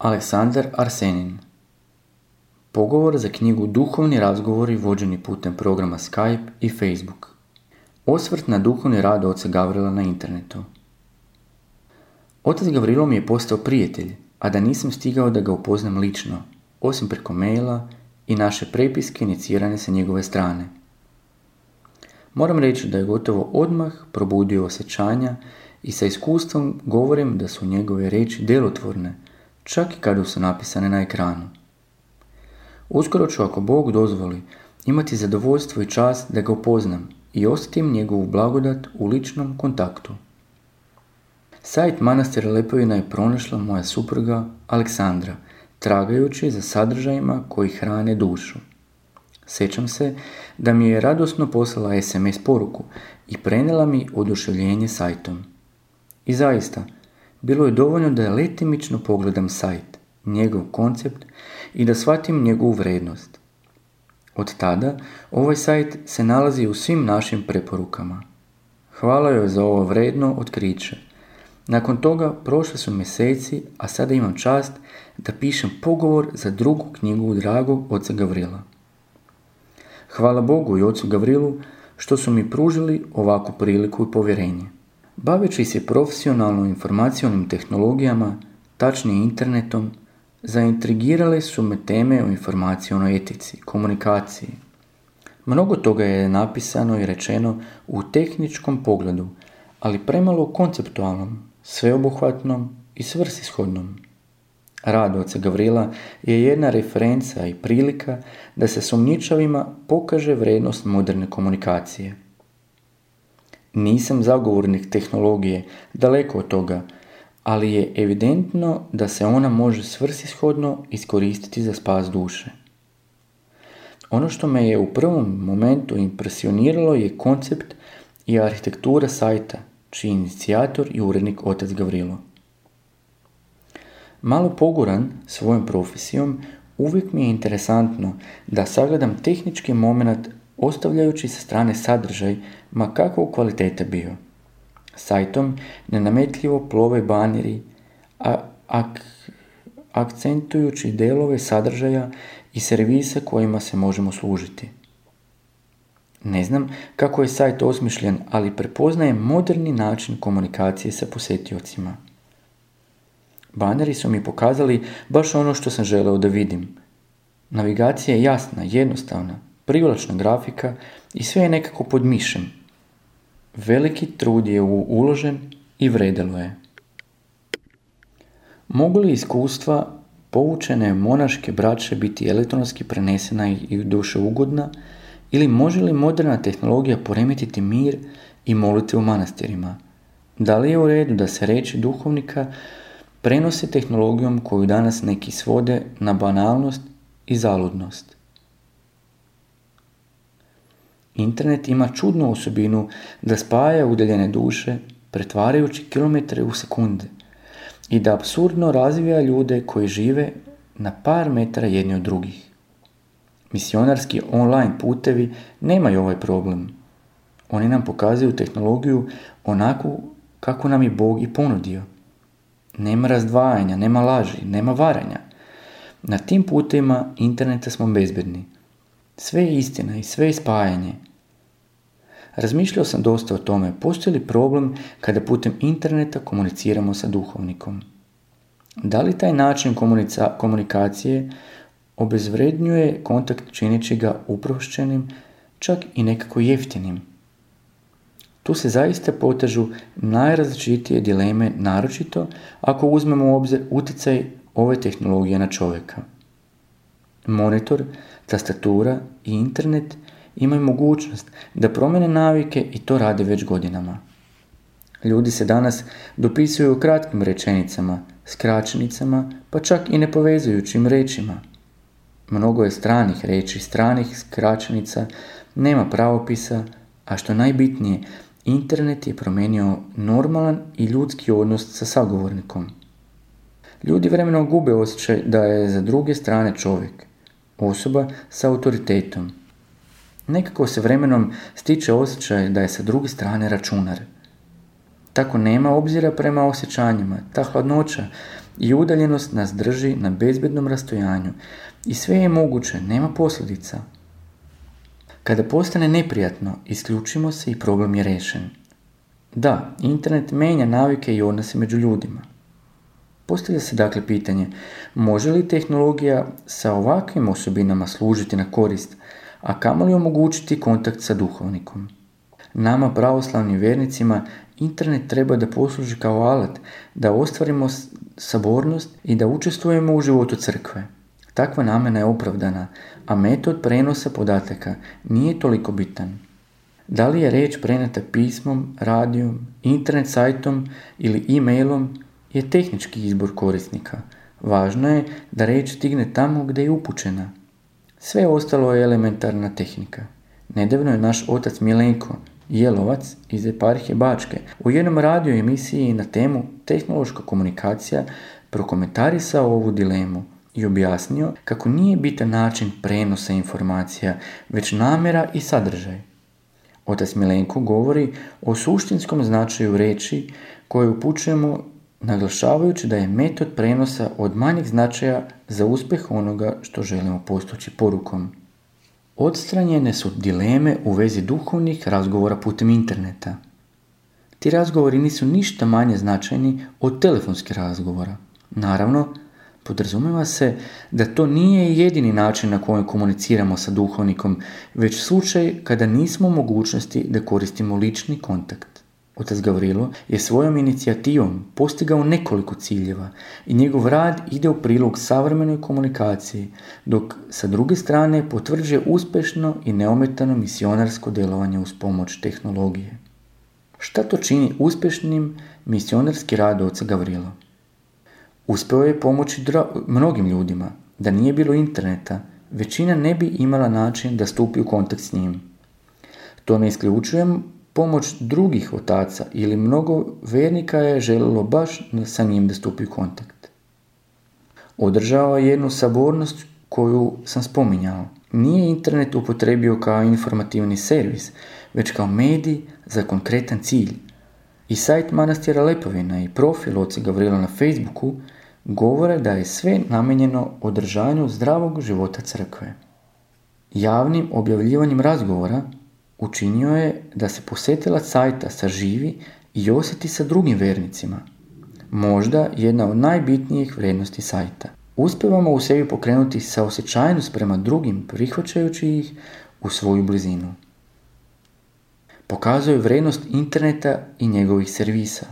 Aleksandar Arsenin. Pogovor za knjigu Duhovni razgovori vođeni putem programa Skype i Facebook. Osvrt na duhovni rad oca Gavrila na internetu. Otac Gavrilo mi je postao prijatelj, a da nisam stigao da ga upoznam lično, osim preko maila i naše prepiske inicirane sa njegove strane. Moram reći da je gotovo odmah probudio osjećanja i sa iskustvom govorim da su njegove riječi djelotvorne, čak i kada su napisane na ekranu. Uskoro ću, ako Bog dozvoli, imati zadovoljstvo i čast da ga upoznam i osjetim njegovu blagodat u ličnom kontaktu. Sajt manastira Lepovina je pronašla moja supruga Aleksandra, tragajući za sadržajima koji hrane dušu. Sjećam se da mi je radosno poslala SMS poruku i prenijela mi oduševljenje sajtom. I zaista, bilo je dovoljno da letimično pogledam sajt, njegov koncept i da shvatim njegovu vrijednost. Od tada ovaj sajt se nalazi u svim našim preporukama. Hvala joj za ovo vrijedno otkriće. Nakon toga prošli su mjeseci, a sada imam čast da pišem pogovor za drugu knjigu dragog oca Gavrila. Hvala Bogu i ocu Gavrilu što su mi pružili ovakvu priliku i povjerenje. Baveći se profesionalno informacionim tehnologijama, tačnije internetom, zaintrigirale su me teme o informacionoj etici, komunikaciji. Mnogo toga je napisano i rečeno u tehničkom pogledu, ali premalo konceptualnom, sveobuhvatnom i svrsishodnom. Rad oca Gavrila je jedna referenca i prilika da se sumnjičavima pokaže vrijednost moderne komunikacije. Nisam zagovornik tehnologije, daleko od toga, ali je evidentno da se ona može svrsishodno iskoristiti za spas duše. Ono što me je u prvom momentu impresioniralo je koncept i arhitektura sajta, čiji je inicijator i urednik otac Gavrilo. Malo poguran svojom profesijom, uvijek mi je interesantno da sagledam tehnički moment ostavljajući sa strane sadržaj, ma kakvog kvalitete bio. Sajtom nenametljivo plove baneri, akcentujući delove sadržaja i servisa kojima se možemo služiti. Ne znam kako je sajt osmišljen, ali prepoznajem moderni način komunikacije sa posjetiocima. Baneri su mi pokazali baš ono što sam želeo da vidim. Navigacija je jasna, jednostavna, privlačna grafika i sve je nekako pod mišem. Veliki trud je uložen i vredelo je. Mogu li iskustva poučene monaške braće biti elektronski prenesena i dušeugodna, ili može li moderna tehnologija poremetiti mir i molitve u manastirima? Da li je u redu da se riječi duhovnika prenose tehnologijom koju danas neki svode na banalnost i zaludnost? Internet ima čudnu osobinu da spaja udaljene duše, pretvarajući kilometre u sekunde, i da apsurdno razvija ljude koji žive na par metara jedni od drugih. Misionarski online putevi nemaju ovaj problem. Oni nam pokazuju tehnologiju onako kako nam je Bog i ponudio. Nema razdvajanja, nema laži, nema varanja. Na tim putevima interneta smo bezbedni. Sve je istina i sve je spajanje. Razmišljao sam dosta o tome, postoji li problem kada putem interneta komuniciramo sa duhovnikom. Da li taj način komunikacije obezvrednjuje kontakt čineći ga uprošćenim, čak i nekako jeftinim? Tu se zaista potežu najrazličitije dileme, naročito ako uzmemo u obzir utjecaj ove tehnologije na čovjeka. Monitor, tastatura i internet imaju mogućnost da promjene navike i to rade već godinama. Ljudi se danas dopisuju kratkim rečenicama, skraćenicama, pa čak i nepovezujućim rečima. Mnogo je stranih reči, stranih skraćenica, nema pravopisa, a što najbitnije, internet je promijenio normalan i ljudski odnos sa sagovornikom. Ljudi vremenom gube osjećaj da je za druge strane čovjek, osoba sa autoritetom. Nekako se vremenom stiče osjećaj da je sa druge strane računar. Tako nema obzira prema osjećanjima, ta hladnoća i udaljenost nas drži na bezbednom rastojanju i sve je moguće, nema posljedica. Kada postane neprijatno, isključimo se i problem je rešen. Da, internet menja navike i odnose među ljudima. Postavlja se dakle pitanje, može li tehnologija sa ovakvim osobinama služiti na korist, a kamoli omogućiti kontakt sa duhovnikom? Nama, pravoslavnim vjernicima, internet treba da posluži kao alat, da ostvarimo sabornost i da učestvujemo u životu crkve. Takva namjena je opravdana, a metod prenosa podataka nije toliko bitan. Da li je riječ preneta pismom, radijom, internet sajtom ili e-mailom je tehnički izbor korisnika. Važno je da riječ stigne tamo gdje je upućena. Sve ostalo je elementarna tehnika. Nedavno je naš otac Milenko Jelovac iz eparhije Bačke u jednom radio emisiji na temu tehnološka komunikacija prokomentarisao ovu dilemu i objasnio kako nije bitan način prenosa informacija, već namjera i sadržaj. Otac Milenko govori o suštinskom značaju riječi koje upućujemo, naglašavajući da je metod prenosa od manjeg značaja za uspjeh onoga što želimo postići porukom. Odstranjene su dileme u vezi duhovnih razgovora putem interneta. Ti razgovori nisu ništa manje značajni od telefonskih razgovora. Naravno, podrazumijeva se da to nije jedini način na koji komuniciramo sa duhovnikom, već slučaj kada nismo u mogućnosti da koristimo lični kontakt. Otac Gavrilo je svojom inicijativom postigao nekoliko ciljeva i njegov rad ide u prilog savremenoj komunikaciji, dok sa druge strane potvrđuje uspješno i neometano misionarsko djelovanje uz pomoć tehnologije. Šta to čini uspješnim misionarski rad oca Gavrila? Uspio je pomoći mnogim ljudima. Da nije bilo interneta, većina ne bi imala način da stupi u kontakt s njim. To ne isključujem pomoć drugih otaca ili mnogo vernika je željelo baš sa njim da stupi u kontakt. Održao je jednu sabornost koju sam spominjao. Nije internet upotrebio kao informativni servis, već kao medij za konkretan cilj. I sajt manastira Lepovina i profil oca Gavrila na Facebooku govore da je sve namijenjeno održavanju zdravog života crkve. Javnim objavljivanjem razgovora učinio je da se posjetilac sajta saživi i osjeti sa drugim vernicima. Možda jedna od najbitnijih vrijednosti sajta. Uspijevamo u sebi pokrenuti saosjećajnost prema drugim, prihvaćajući ih u svoju blizinu. Pokazuje vrijednost interneta i njegovih servisa.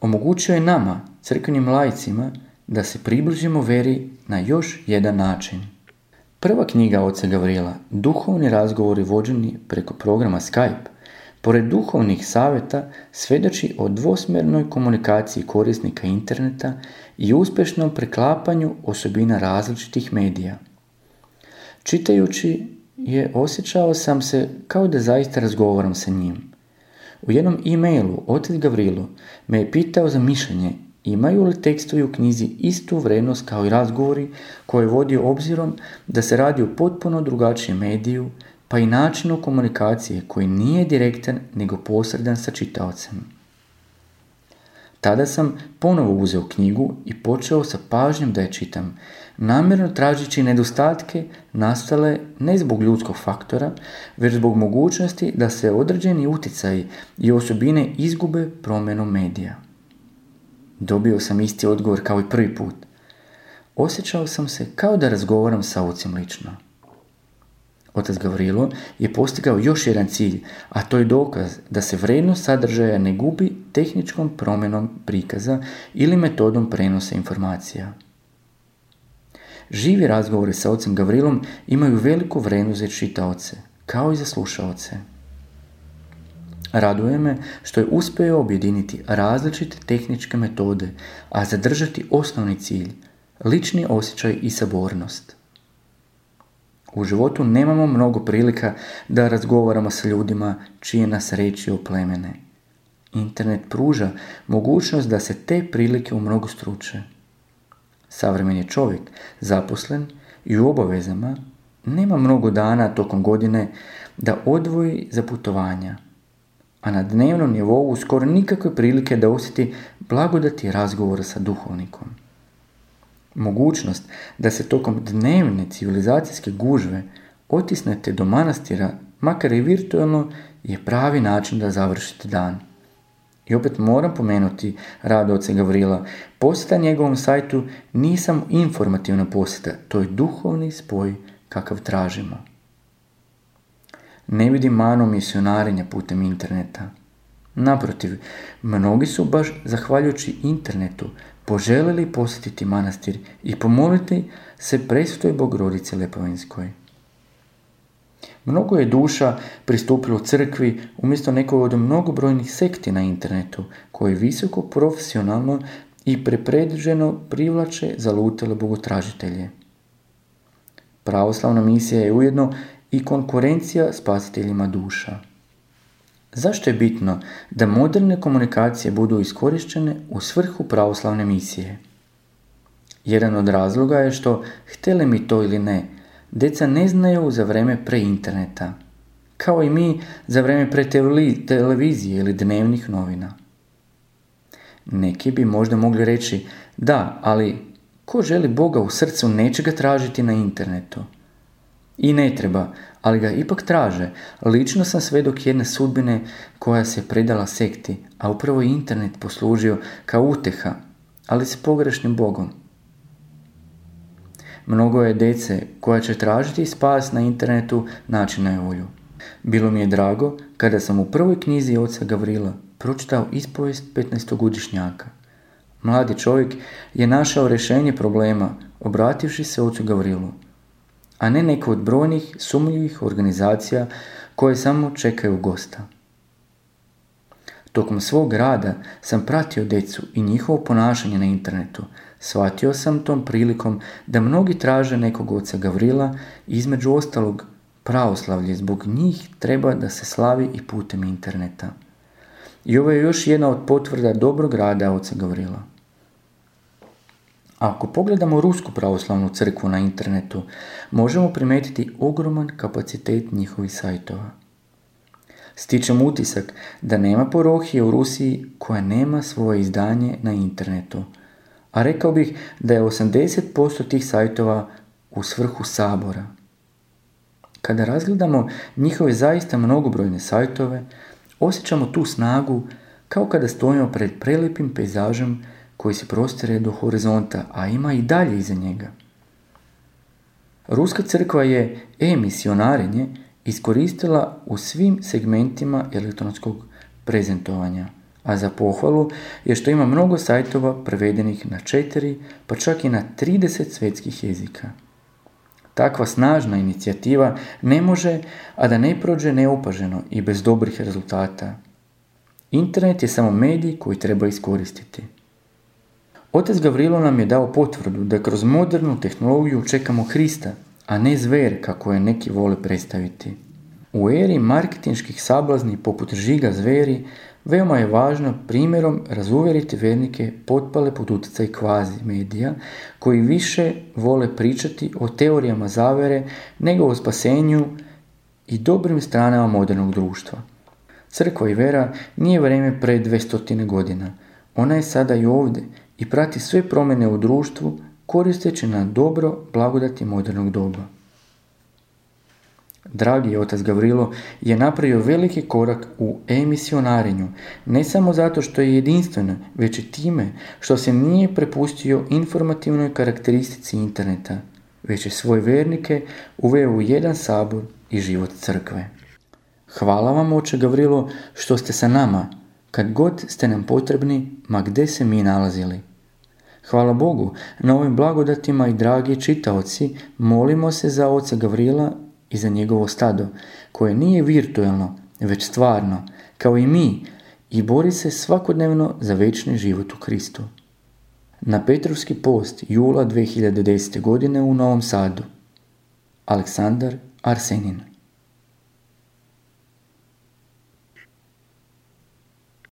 Omogućuje je nama, crkvenim laicima, da se približimo veri na još jedan način. Prva knjiga oca Gavrila, Duhovni razgovori vođeni preko programa Skype, pored duhovnih savjeta, svjedoči o dvosmjernoj komunikaciji korisnika interneta i uspješnom preklapanju osobina različitih medija. Čitajući je, osjećao sam se kao da zaista razgovaram sa njim. U jednom e-mailu otac Gavrilo me je pitao za mišljenje imaju li tekstovi u knjizi istu vrijednost kao i razgovori koje je vodio obzirom da se radi o potpuno drugačijem mediju, pa i načinu komunikacije koji nije direktan nego posredan sa čitaocem. Tada sam ponovo uzeo knjigu i počeo sa pažnjom da je čitam, namjerno tražeći nedostatke nastale ne zbog ljudskog faktora, već zbog mogućnosti da se određeni utjecaji i osobine izgube promjenom medija. Dobio sam isti odgovor kao i prvi put. Osjećao sam se kao da razgovaram sa ocem lično. Otac Gavrilo je postigao još jedan cilj, a to je dokaz da se vrijednost sadržaja ne gubi tehničkom promjenom prikaza ili metodom prenosa informacija. Živi razgovori sa ocem Gavrilom imaju veliku vrijednost za čitaoce, kao i za slušaoce. Raduje me što je uspio objediniti različite tehničke metode, a zadržati osnovni cilj, lični osjećaj i sabornost. U životu nemamo mnogo prilika da razgovaramo sa ljudima čije nas riječi oplemene. Internet pruža mogućnost da se te prilike umnogostruče. Savremeni čovjek, zaposlen i u obavezama, nema mnogo dana tokom godine da odvoji za putovanja. a na dnevnom nivou skoro nikakve prilike da osjeti blagodati razgovora sa duhovnikom. Mogućnost da se tokom dnevne civilizacijske gužve otisnete do manastira, makar i virtualno, je pravi način da završite dan. I opet moram pomenuti rad oca Gavrila. Posjeta njegovom sajtu nije samo informativna posjeta, to je duhovni spoj kakav tražimo. Ne vidim manu misionarenja putem interneta. Naprotiv, mnogi su baš zahvaljujući internetu poželjeli posjetiti manastir i pomoliti se presvetoj Bogorodici Lepovenskoj. Mnogo je duša pristupilo crkvi umjesto nekog od mnogobrojnih sekti na internetu, koji visoko profesionalno i prepredviđeno privlače zalutele bogotražitelje. Pravoslavna misija je ujedno i konkurencija spasiteljima duša. Zašto je bitno da moderne komunikacije budu iskorištene u svrhu pravoslavne misije? Jedan od razloga je što, htjeli mi to ili ne, djeca ne znaju za vrijeme pre interneta, kao i mi za vrijeme pre televizije ili dnevnih novina. Neki bi možda mogli reći, da, ali ko želi Boga u srcu neće ga tražiti na internetu. I ne treba, ali ga ipak traže. Lično sam svedok jedne sudbine koja se predala sekti, a upravo je internet poslužio kao uteha, ali s pogrešnim Bogom. Mnogo je djece koja će tražiti spas na internetu naći najbolju. Bilo mi je drago kada sam u prvoj knjizi oca Gavrila pročitao ispovijest 15-godišnjaka. Mladi čovjek je našao rješenje problema obrativši se ocu Gavrilu, a ne neko od brojnih sumnjivih organizacija koje samo čekaju gosta. Tokom svog rada sam pratio djecu i njihovo ponašanje na internetu. Shvatio sam tom prilikom da mnogi traže nekog oca Gavrila i između ostalog pravoslavlje zbog njih treba da se slavi i putem interneta. I ovo je još jedna od potvrda dobrog rada oca Gavrila. Ako pogledamo Rusku pravoslavnu crkvu na internetu, možemo primijetiti ogroman kapacitet njihovih sajtova. Stičem utisak da nema parohije u Rusiji koja nema svoje izdanje na internetu, a rekao bih da je 80% tih sajtova u svrhu sabora. Kada razgledamo njihove zaista mnogobrojne sajtove, osjećamo tu snagu kao kada stojimo pred prelijepim pejzažem koji se prostire do horizonta, a ima i dalje iza njega. Ruska crkva je e-misionarenje iskoristila u svim segmentima elektronskog prezentovanja, a za pohvalu je što ima mnogo sajtova prevedenih na 4, pa čak i na 30 svjetskih jezika. Takva snažna inicijativa ne može, a da ne prođe neopaženo i bez dobrih rezultata. Internet je samo medij koji treba iskoristiti. Otac Gavrilo nam je dao potvrdu da kroz modernu tehnologiju čekamo Hrista, a ne zver kako je neki vole predstaviti. U eri marketinških sablazni poput žiga zveri, veoma je važno primjerom razuvjeriti vernike potpale pod utjecaj kvazi medija, koji više vole pričati o teorijama zavere nego o spasenju i dobrim stranama modernog društva. Crkva i vera nije vrijeme pre 200 godina. Ona je sada i ovdje i prati sve promjene u društvu koristeći na dobro blagodati modernog doba. Dragi otac Gavrilo je napravio veliki korak u e-misionarenju, ne samo zato što je jedinstveno, već i time što se nije prepustio informativnoj karakteristici interneta, već je svoje vernike uveo u jedan sabor i život crkve. Hvala vam, oče Gavrilo, što ste sa nama, kad god ste nam potrebni, ma gdje se mi nalazili. Hvala Bogu na ovim blagodatima i dragi čitaoci, molimo se za oca Gavrila i za njegovo stado, koje nije virtualno, već stvarno, kao i mi, i bori se svakodnevno za večni život u Kristu. Na Petrovski post jula 2010. godine u Novom Sadu. Aleksandar Arsenin.